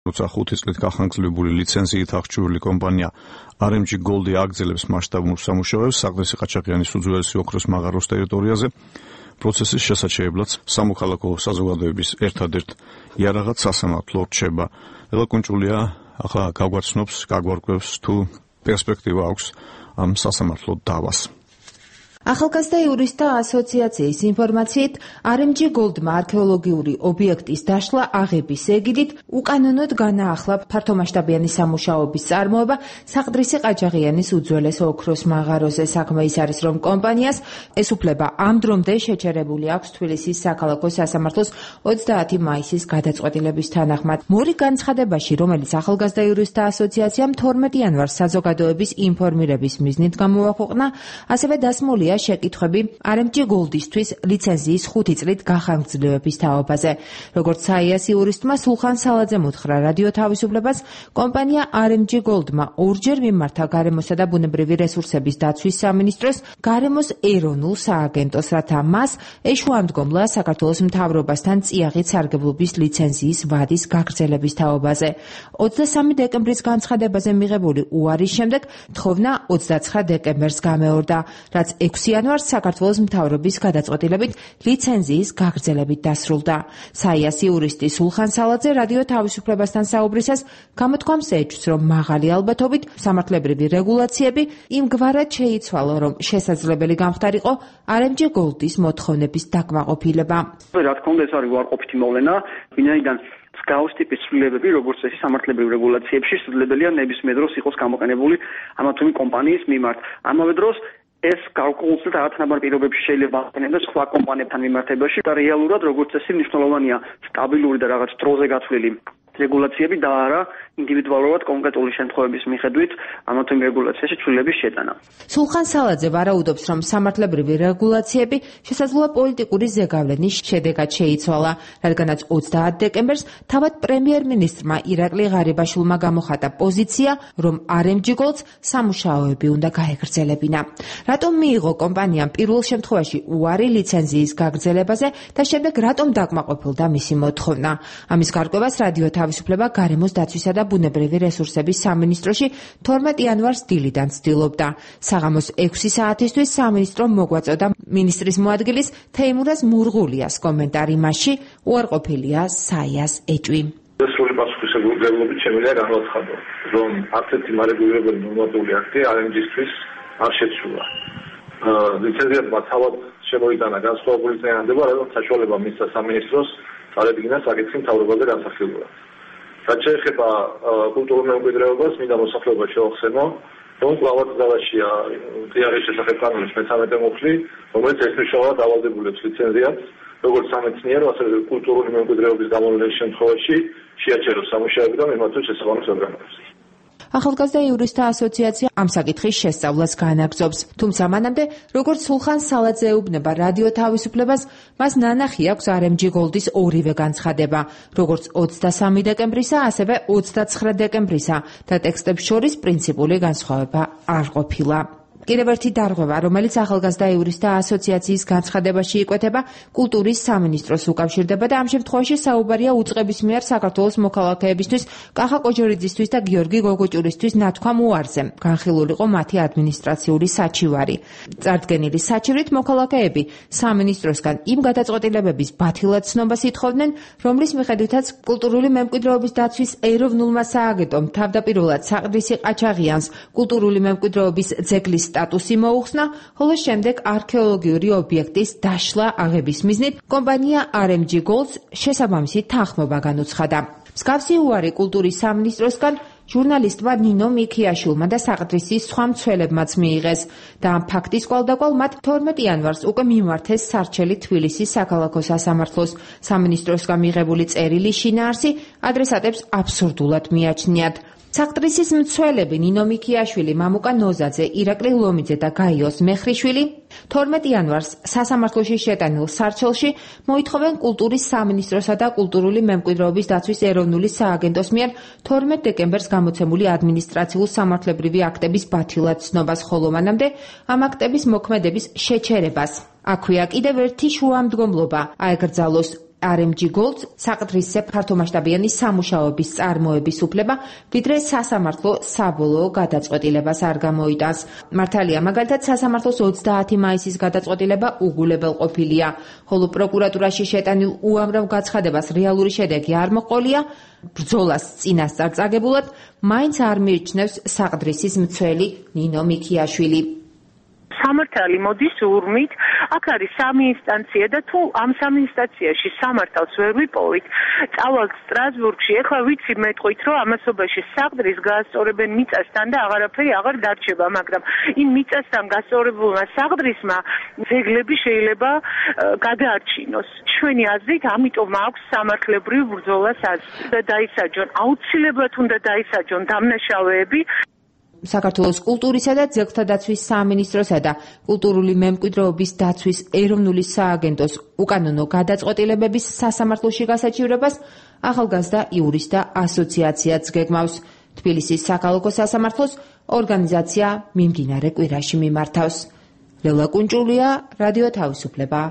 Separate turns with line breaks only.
როცა 5 წლით გახანგრძლივებული ლიცენზიით აღჭურვილი კომპანია RMG Gold აგრძელებს მასშტაბურ სამუშაოებს საყდრისი ყაჩაღიანის უძველესი ოქროს მაღაროს ტერიტორიაზე, პროცესის შესაჩერებლად სამოქალაქო საზოგადოების ერთადერთ იარაღად სასამართლო რჩება. ელაკუნჭულია ახლა გაგვარკვევს თუ პერსპექტივა აქვს ამ სასამართლო დავას.
ახალგაზრდა იურისტთა ასოციაციის ინფორმაციით, RMG Gold-მა არქეოლოგიური ობიექტის დაშლა აღების ეგიდით უკანონოდ განაახლა ფართომასშტაბიანი სამუშაოების წარმოება საყდრისი ყაჩაღიანის უძველეს ოქროს მაღაროზე. საქმე ის არის, რომ კომპანიას ეს უფლება ამ დრომდე შეჩერებული აქვს თბილისის საქალაქო სასამართლოს 30 მაისის გადაწყვეტილების თანახმად. მორიგ განცხადებაში, რომელიც ახალგაზრდა იურისტთა ასოციაციამ 12 იანვარს საზოგადოების ინფორმირების მიზნით გამოაქვეყნა, ასევე დასმულია შეკითხვები RMG Gold-ისთვის ლიცენზიის 5 წლით გახანგრძლივების თაობაზე. როგორც საიას იურისტმა სულხან სალაძემ უთხრა რადიო თავისუფლებას, კომპანია RMG Gold-მა ორჯერ მიმართა გარემოსა და ბუნებრივი რესურსების დაცვის სამინისტროს, გარემოს ეროვნულ სააგენტოს, რათა მას ეშუამდგომლა საქართველოს მთავრობასთან წიაღით სარგებლობის ლიცენზიის ვადის გაგრძელების თაობაზე. 23 დეკემბრის განცხადებაზე მიღებული უარის შემდეგ თხოვნა 29 დეკემბერს გამეორდა, რაც 6 იანვარს საქართველოს მთავრობის გადაწყვეტილებით ლიცენზიის გაგრძელებით დასრულდა. საიას იურისტი სულხან სალაძე რადიო თავისუფლებასთან საუბრისას გამოთქვამს ეჭვს, რომ მაღალი ალბათობით სამართლებრივი რეგულაციები იმგვარად შეიცვალა, რომ შესაძლებელი გამხდარიყო RMG Gold-ის მოთხოვნების დაკმაყოფილება.
რა თქმა უნდა, ეს არის უარყოფითი მოვლენა, ვინაიდან მსგავს ტიპის ცვლილებები, როგორც წესი სამართლებრივ რეგულაციებში, შესაძლებელია ნებისმიერ დროს იყოს გამოყენებული ამა თუ იმ კომპანიის მიმართ. ამავე დროს ეს გარკვეულწილად რაღაცნაირ პირობებში შეიძლება აღიაროს სხვა კომპანიებთან მიმართებაში და რეალურად როგორც წესი მნიშვნელოვანია სტაბილური და რაღაც დროზე გათვლილი რეგულაციები და არა ინდივიდუალურად კონკრეტული შემთხვევების მიხედვით ამა თუ იმ რეგულაციაში ცვლილების შეტანა.
სულხან სალაძე ვარაუდობს, რომ სამართლებრივი რეგულაციები შესაძლოა პოლიტიკური ზეგავლენის შედეგად შეიცვალა, რადგანაც 30 დეკემბერს თავად პრემიერ-მინისტრმა ირაკლი ღარიბაშვილმა გამოხატა პოზიცია, რომ RMG Gold-ს სამუშაოები უნდა გაეგრძელებინა. რატომ მიიღო კომპანიამ პირველ შემთხვევაში უარი ლიცენზიის გაგრძელებაზე და შემდეგ რატომ დაკმაყოფილდა მისი მოთხოვნა? ამის გარკვევას რადიო თავისუფლება გარემოს დაცვისა და ბუნებრივი რესურსების სამინისტროში 12 იანვარს დილიდან ცდილობდა. საღამოს 6 საათისთვის სამინისტრომ მოგვაწოდა მინისტრის მოადგილის თეიმურაზ მურღულიას კომენტარი, მასში უარყოფილია საიას ეჭვი.
სრული პასუხისმგებლობით შემიძლია განვაცხადო, რომ არც ერთი მარეგულირებელი ნორმატიული აქტი RMG-ისთვის არ შეცვლა. ლიცენზიატმა თავად შემოიტანა განსხვავებული წინააღმდება, რაც საშუალება მისცა სამინისტროს წარებინა საკითხი მთავრობაზე განსახილველად. რაც შეეხება კულტურულ მემკვიდრეობას, მინდა მოსახლეობა შევახსენო, რომ კლავად ძალაშია წიაღის შესახებ კანონის 13 მუხლი, რომელიც ერთმნიშვნელოვნად ავალდებულებს ლიცენზიატს, როგორც სამეცნიერო, ასევე კულტურული მემკვიდრეობის გამოვლენის შემთხვევაში შეაჩეროს სამუშაოები და მიმართოს შესაბამის ორგანოებს.
ახალგაზრდა იურისტთა ასოციაცია ამ საკითხის შესწავლას განაგრძობს. თუმცა მანამდე, როგორც სულხან სალაძე ეუბნება რადიო თავისუფლებას, მას ნანახი აქვს RMG Gold-ის ორივე განცხადება, როგორც 23 დეკემბრისა, ასევე 29 დეკემბრისა და ტექსტებს შორის პრინციპული განსხვავება არ ყოფილა. კიდევ ერთი დარღვევა, რომელიც ახალგაზრდა იურისტთა ასოციაციის განცხადებაში იკვეთება, კულტურის სამინისტროს უკავშირდება და ამ შემთხვევაში საუბარია უწყების მიერ საქართველოს მოქალაქეებისთვის, კახა კოჯორიძისთვის და გიორგი გოგოჭურისთვის ნათქვამ უარზე. განხილულიყო მათი ადმინისტრაციული საჩივარი. წარდგენილი საჩივრით მოქალაქეები სამინისტროსგან იმ გადაწყვეტილებების ბათილად ცნობას ითხოვდნენ, რომლის მიხედვითაც კულტურული მემკვიდრეობის დაცვის ეროვნულმა სააგენტომ თავდაპირველად საყდრისი ყაჩაღიანს კულტურული მემკვიდრეობის ძეგლის სტატუსი მოუხსნა, ხოლო შემდეგ არქეოლოგიური ობიექტის დაშლა აღების მიზნით კომპანია RMG Gold-ს შესაბამისი თანხმობა განუცხადა. მსგავსი უარი კულტურის სამინისტროსგან ჟურნალისტმა ნინო მიქიაშვილმა და საყდრისის სხვა მცველებმაც მიიღეს და ამ ფაქტის კვალდაკვალ მათ 12 იანვარს უკვე მიმართეს სარჩელი თბილისის საქალაქო სასამართლოს. სამინისტროსგან მიღებული წერილი შინაარსი ადრესატებს აბსურდულად მიაჩნიათ. საყდრისის მცველები ნინო მიქიაშვილი, მამუკა ნოზაძე, ირაკლი ლომიძე და გაიოს მეხრიშვილი 12 იანვარს სასამართლოში შეტანილ სარჩელში მოითხოვენ კულტურის სამინისტროსა და კულტურული მემკვიდრეობის დაცვის ეროვნული სააგენტოს მიერ 12 დეკემბერს გამოცემული ადმინისტრაციულ სამართლებრივი აქტების ბათილად ცნობას, ხოლო მანამდე ამ აქტების მოქმედების შეჩერებას. აქვეა კიდევ ერთი შუამდგომლობა, აეკრძალოს RMG Gold საყდრისზე ფართომასშტაბიანი სამუშაოების წარმოების უფლება, ვიდრე სასამართლო საბოლოო გადაწყვეტილებას არ გამოიტანს. მართალია, მაგალითად, სასამართლოს 30 მაისის გადაწყვეტილება უგულებელ ყოფილია, ხოლო პროკურატურაში შეტანილ უამრავ გაცხადებას რეალური შედეგი არ მოყოლია, ბრძოლას წინასწარ წაგებულად მაინც არ მიიჩნევს საყდრისის მცველი ნინო მიქიაშვილი.
სამართალი მოდის ურმით, აქ არის 3 ინსტანცია და თუ ამ 3 ინსტანციაში სამართალს ვერ ვიპოვით, წავალთ სტრასბურგში, ეხლა ვიცი მეტყვით, რომ ამასობაში საყდრის გაასწორებენ მიწასთან და აღარაფერი აღარ დარჩება, მაგრამ იმ მიწასთან გასწორებულმა საყდრისმა ძეგლები შეიძლება გადაარჩინოს. ჩვენი აზრით, ამიტომ აქვს სამართლებრივ ბრძოლას და დაისაჯონ, აუცილებლად უნდა დაისაჯონ დამნაშავეები.
საქართველოს კულტურისა და ძეგლთა დაცვის სამინისტროსა და კულტურული მემკვიდრეობის დაცვის ეროვნული სააგენტოს უკანონო გადაწყვეტილებების სასამართლოში გასაჩივრებას ახალგაზრდა იურისტთა ასოციაციაც გეგმავს. თბილისის საქალაქო სასამართლოს ორგანიზაცია მიმდინარე კვირაში მიმართავს. ლელა კუნჭულია, რადიო თავისუფლება.